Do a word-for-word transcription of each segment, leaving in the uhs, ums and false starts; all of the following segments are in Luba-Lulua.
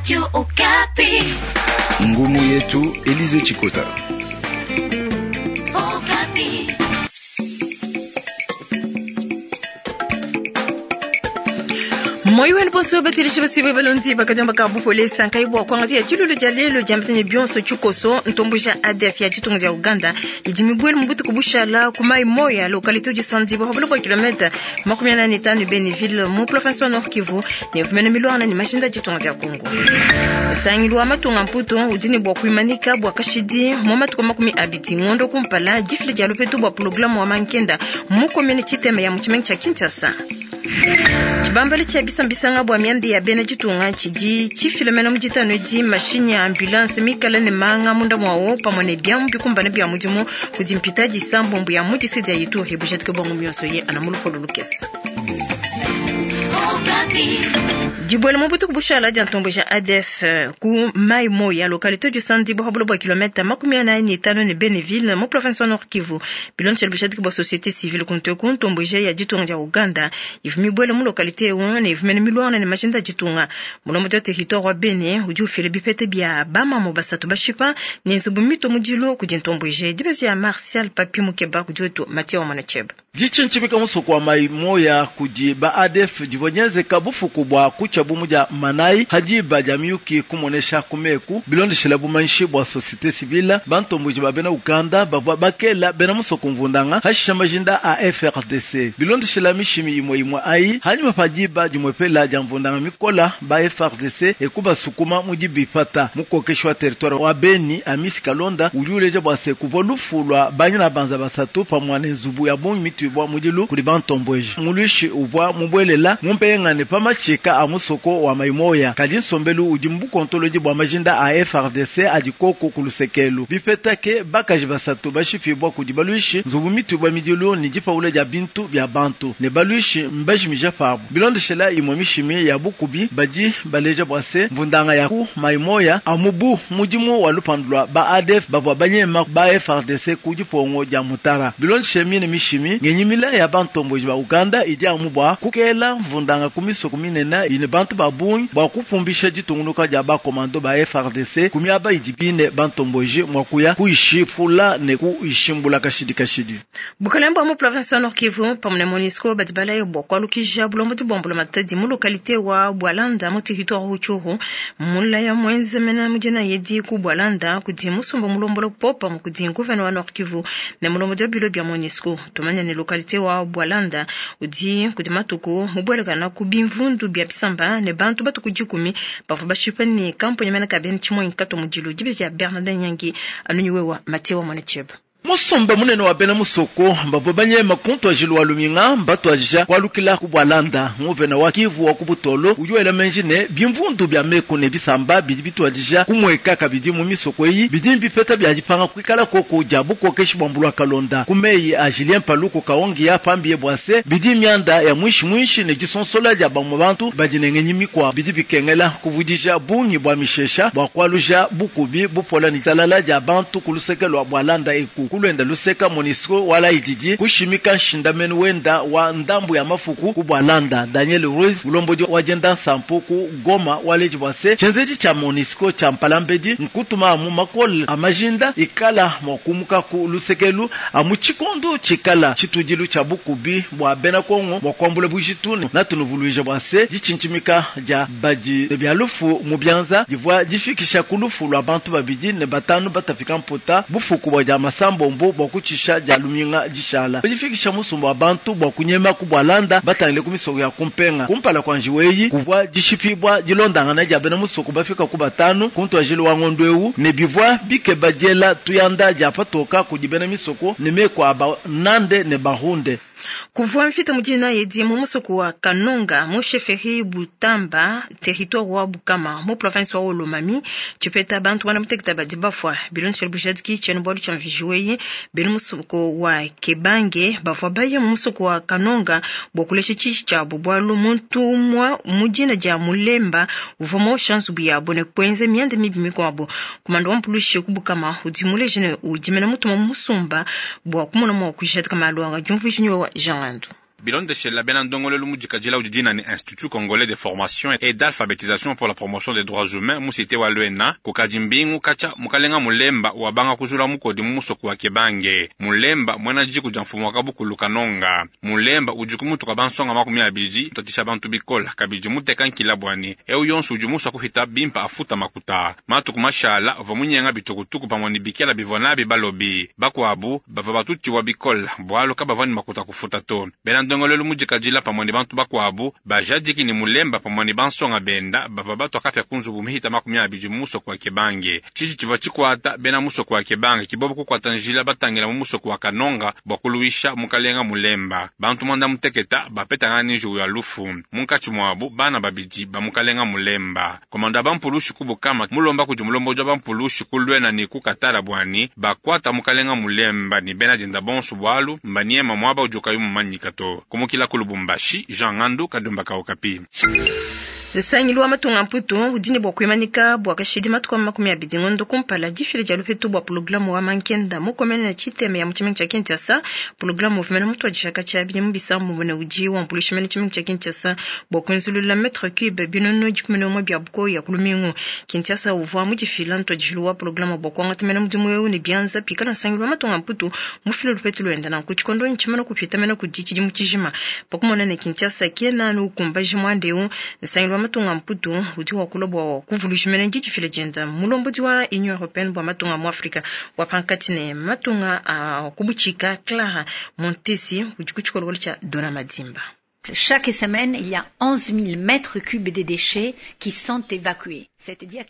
Radio Okapi. Ngumu yetu Elize Chikota. Okapi. Moyo wenu bonso batilishi basibe balonzi bakajamba ka bupolesa nkaibwa kwangatia chilulu ja lelo jamtene bionso chukoso ntombuja A D F ya chitungu ja Uganda idimibwele mbutu kubushala kumai moya localité du Sandibo hablo kwa kilomita makumi ane na tano Beniville mu province wa Nord Kivu ne vumene milwana ni mashinda chitungu ja Kongo sangilwa matunga mputo udini bwa kuimanika bwa kashidi mu matuko makumi abiti ngondo kumpala jifile ja lupetu bwa programu wa mankenda mu commune Chitema ya muchimengi cha Kinshasa. Chibambali cha bisambisanga bwa miandi ya bene chitunga chiji chifilomena mujitano di mashini ya ambulance mikala ne manga munda mwawo pamwe ne byamu bikumbana bya mudimu kudimpita disambombo ya mutisi dia yitu hebujatike bwangu myonso ye anamulukolo lukesa. Dibwele mobutu kubushala dia ntombo ja A D F ku mai moya localité du Sandibo hablo bwa kilomita makumi ane na tano ne Beneville mu province wa Nord Kivu bilonche bujatike bwa société civile kunte ku ntombo ja ya ditunga ja Uganda ivumi bwele mu localité wo ne ivumene milwana ne mashinda ditunga mulomo ja territoire wa Bene udi ufile bipete bya bama mo basatu bashipa ne nzubu mito mudilo ku dintombo ja dibezi ya Martial Papi Mukeba ku dioto Mathieu Manacheba Dichinchimika musoko wa mai moya kudi ba A D F divonyeze kabufuku bwa kucha bumuja manai hajiba jamiyuki kumonesha kumeku bilondeshela bumanshi bwa société civile bantombuji ba bena Uganda bavwa bakela bena musoko mvundanga hashisha majinda a F R D C bilondeshela mishimi imwe imwe ai hanyuma pajiba jimwepela jamvundanga mikola ba F R D C ekuba sukuma mujibifata mukokeshwa territoire wa Beni Amisi Kalonda ujuleje bwa se kuvwa lufulwa banyina banza basatu pamwane nzubu ya bongi mitubwa mudilu kuli bantomboji mulushi uvwa mubwelela mumpengane pamachika a musoko wa maimoya kadi nsombelu udi mbukontoloji bwa majinda a F R D C adikoko kulusekelu bifetake bakaji basatu bashifibwa kudi baluishi nzubu mitubwa midilu ni dipaula dia bintu bya bantu ne baluishi mbajimija pabu bilondeshela imwe mishimi ya bukubi badi baleja bwase mvundanga ya ku maimoya amubu mudimu wa lupandulwa ba A D F bavwa banyema ba F R D C kudi pongo dia mutara bilondeshe mine mishimi ngenyimila ya bantomboji ba Uganda idi amubwa kukela mvundanga kumiso kuminena ine bantu babungi bwa kufumbisha ditungunuka dia ba komando ba F R D C kumiaba idibine bantomboji mwakuya kuishifula ne kuishimbula kashidi kashidi Bukalembo mu province wa Nord Kivu pamwe MONUSCO badibala yo bwa kwalukija bulombo dibombo matadi mu localité wa Bwalanda mu territoire Rutshuru mula ya mwenze mena mujena yedi ku Bwalanda kudi musumba mulombolo popa mu kudi gouverneur wa Nord Kivu ne mulombo dia bilo bya MONUSCO tumanya ne localité wa Bwalanda udi kudi matuku mubwelekana ku bimvundu bya bisamba ne bantu batukujikumi bavua bashipa ni kampuni mena kabeni chimwe nkato mudilu dibe ya Bernard Nyangi anunyiwe wa Mathieu Mwanacheba. Musumba munene wa bena musoko mbavwe banyema kuntwajilu wa luminga mbatwajija kwalukila ku Bwalanda nguvena wa Kivu wa kubutolo ujuela menjine bimvundu bya meko ne bisamba bidi bitwajija kumweka kabidi mu misoko iyi bidi bipeta bya dipanga kwikala koko ja bukokeshi bwa mbulwa kalonda kumeyi a Julien Paluku kaongi ya pambiye bwase bidi myanda ya mwishi mwishi ne disonsola ja bamwe bantu badinengenyi mikwa bidi bikengela kuvudija bungi bwa mishesha bwa kwaluja bukubi bupola ni talala ja bantu kulusekelo Bwalanda eku kulwenda luseka MONUSCO wala ididi kushimika nshindamenu wenda wa ndambu ya mafuku ku Bwalanda Daniel Ruiz ulombodi wa jenda sampo ku Goma waleji bwase chenzeji cha MONUSCO cha mpalambedi nkutuma mu makol amajinda ikala mwakumuka ku lusekelu amuchikondo chikala chitudilu cha bukubi bwa bena Kongo bwa kwambula bujitune na tunuvuluije bwase dichinchimika ja badi bya lufu mu byanza divwa difikisha kulufu lwa bantu babidi ne batanu batafika mputa bufuku bwa ja masambo mbo bwa kuchisha ja luminga jishala difikisha musumba wa bantu bwa kunyema ku Bwalanda batangile ku misoko ya kumpenga kumpala kwa njiweyi kuvwa dishipibwa dilondangana ja bena musoko bafika ku batanu kuntwajilo wa ngondwewu ne bivwa bike badiela tuyanda ja patoka kudibena misoko ne meko aba nande ne bahunde Kuvua mfita mujina yedi mu musoko wa Kanonga mu chefferie Butamba territoire wa Bukama mu province wa Olomami chipeta bantu wana muteketa badi bafwa bilonche bujadiki chenu bwalu cha mvijuwe benu musoko wa Kebange bafwa baye mu musoko wa Kanonga bokuleshe chichi cha bubwalu muntu mwa mujina ja Mulemba uvomo chance buya bone kwenze miande mibi mikwabo kumando wa mpulushi ku Bukama udimule jene udimena mutuma musumba bwa kumona mwa kujadika malwanga jumvujinyo wa Jean Lando. Bilondeshela bena ndongoluelu mudikadila udi dina ne Institut congolais de formation et d'alphabétisation pour la promotion des droits humains mu cité wa Luena, kukadi mbingu katshia mukalenga Mulemba wabanga kujula mukodi mu musoko wa Kebange. Mulemba muena diku dia mfumu wa kabukulu Kanonga. Mulemba udi ku mutu kua bansonga makumi abidi tatisha bantu bikola kabidi muteka nkila bwani eu yonso udi musua kuhita bimpa afuta makuta. Matuku mashala uvua munyenga bitukutuku pamue ne bikela bivua nabi balobi bakuabu bavua batutiwa bikola bualu kabavua ne makuta kufuta to. Bena ndongoluelu mudikadila pamue ne bantu bakuabu bajadiki ne Mulemba pamue ne bansonga benda bavua batua kapia ku nzubu mihita makumi abidi mu musoko wa Kebange. Tshiji tshivua tshikuata bena musoko wa Kebange kibobo kukuata njila batangila mu musoko wa Kanonga bua kuluisha mukalenga Mulemba. Bantu mwanda muteketa bapetangana ne njiwu ya lufu munkatshi muabu bana babidi ba mukalenga Mulemba. Komanda bampulushi kubukama mulomba kudi mulomboji wa bampulushi kulwena ne kukatala bwani bakwata mukalenga Mulemba ne bena dienda bonso bualu mbaniema muaba udi ukayi mumanyika to. Kumukila ku Lubumbashi, Jean Ngandu Kadumba ka Okapi. Nsangilu wa matunga mputu udi ne bua kuimanika bua kashidi matuku makumi abidi ngondo kumpala difila dia lupetu bua pulogulamu wa mankenda mukomene na tshiteme ya mu tshimenga tshia Kinshasa. Pulogulamu uvumena mutu wa dishaka tshia bidimu bisambombo ne udi wambuluisha mene tshimenga tshia Kinshasa bua kuenzulula metre cube binono dikumi ne umue bia bukoya ku lumingu. Kinshasa uvua mudifila ntuadijilu wa pulogulamu bua kuangata mene mudimu eu ne bianza pikala nsangilu wa matunga mputu mufile lupetu luenda nanku tshikondo ntshimana kupita mene kudi tshidimu tshijima. Pakumona ne Kinshasa kena nukumbaji muanda eu, nsangilu wa matunga mputu udi wakula bua kuvuluisha mene didifila dienda mulombodi wa Union européenne bua matunga mu Afrika wa pankatshi ne matunga a kubutshika Clara Montesi udi ku tshikolokolo tshia Dona Madimba. Chaque semaine, il y a onze mille mètres cubes de déchets qui sont évacués.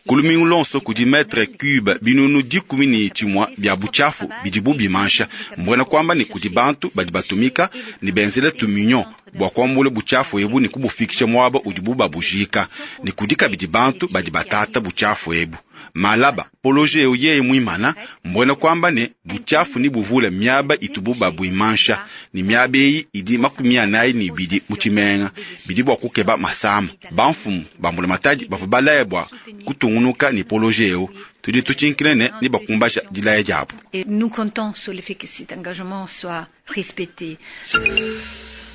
Ku lumingu lonso kudi metre cube binunu dikumi ne tshimue bia butshiafu bidibu bimansha. Mbuena kuamba ne kudi bantu badi batumika ne benzele tuminyo bua kuambula butshiafu ebu ne kubufikisha muaba udibu babujika, ne kudi kabidi bantu badi batata butshiafu ebu. Malaba poloje eu yeye muimana, mbuena kuamba ne butshiafu ni buvula miaba itubu babuimansha, ne miaba eyi idi makumi anayi ne ibidi mu tshimenga bidi bua kukeba masama. Bamfumu ba mbulamatadi bavua balaya bua kutungunuka ne poloje eu. Tudi tutshinkile ne ne bakumbaja dilaya diabu. Et nous comptons sur le fait que cet engagement soit respecté.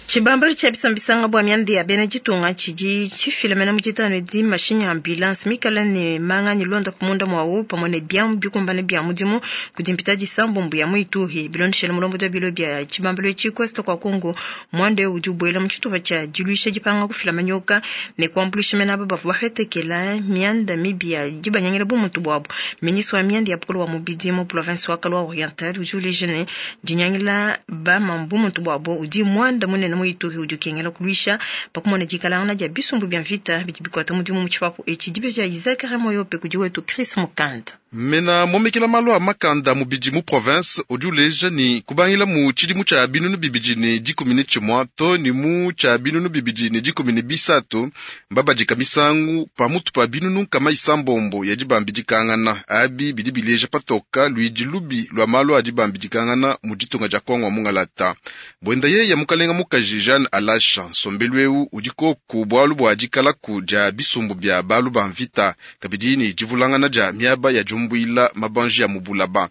Tshibambalu tshia bisambisanga bua mianda ya bena ditunga tshidi tshifila mena mu ditanu edi mashinyi ya ambulance mikala ne manga ne londa kumunda mwawu pamue ne biamu bikumbane bia mudimu kudi mpita disambombo ya mu Ituri. Bilondeshele mulombodi wa bilo bia tshibambalu etshi Kwesta kwa Kongo, muanda eu udi ubuela mu tshitupa tshia diluisha dipanga kufila manyoka ne kuambuluisha mena aba bavua bahetekela mianda mibi ya dibanyangila bumuntu buabu. Ministre wa mianda ya bukulu wa mubidi mu province wa Kalwa Oriental udi uleja ne dinyangila bamambu muntu buabu udi muanda munene mu Ituri udi ukengela kuluisha pakumona dikalangana dia bisumbu bia mvita bidi bikuata mudimu mu tshipapu etshi. Dibeja Isaac Remoyope kudi wetu Chris Mukanda. Mena momekela malu a makanda mubidi mu province udi uleja ni kubangila mu tshidimu tshia binunu bibidi ne dikumi ne tshimue to ne mu tshia binunu bibidi ne dikumi ne bisatu mbabadika misangu pamutu pa binunu nkama isambombo ya dibambidikangana. Abi bidi bileja patoka luidi lubi lua malu a dibambidikangana mu ditunga dia Kongo mungalata. Bwenda yeye mukalenga mukaji Jeanne Alasha nsombelu eu udi koku bualu bua dikalaku dia bisumbu bia balu ba mvita kabidi ne divulangana dia miaba ya jumbuila mabanji ya mubulaba.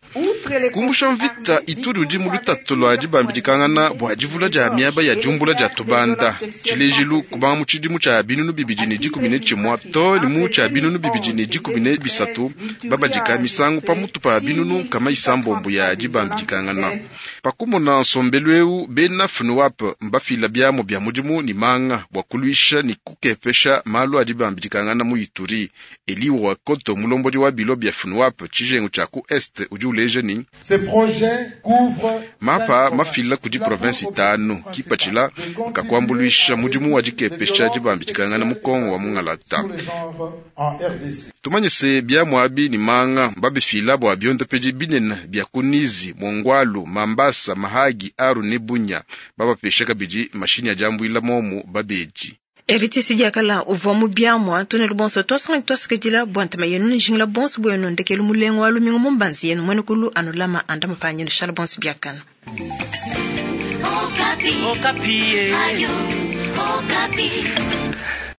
Kumbusha mvita Ituri udi mu lutatu lua dibambidikangana bua divula dia miaba ya jumbula dia tubanda. Tshilejilu kubanga mu tshidimu tshia binunu bibidi ne dikumi ne tshimue to ne mu tshia binunu bibidi ne dikumi ne bisatu babadika misangu pamutu pa binunu kama isambombo ya dibambidikangana. Pakumona nsombelu eu bena FNUAP mbafila biamu bia mudimu ni manga bua kuluisha ni kukepesha malu a dibambidikangana mu Ituri. Eli wa Koto mulombodi wa bilo bia FNUAP tshijengu tshia ku Est udi uleja ni mapa mafila kudi province itanu kipatshila kakuambuluisha mudimu wa dikepesha dibambidikangana mu Kongo wa mungalata. Tumanye se biamu abi ni manga mbabifila bua biondopedi binene bia kunizi Mongwalu, Mambasa, Mahagi, Aru ne Bunya. Babapesha kabidi mashini ya jambuila momu babeji. Eritisi diakala uvua mu biamua tunelu bonso twasanga twasikidila bua ntema yenu ne jingila bonso bwenu ndekelu mulengo wa lumingu mu mbanzi yenu mwene kulu anulama anda mapanyenu shala bonso biakana. Okapi. Okapi. Ayu, Okapi.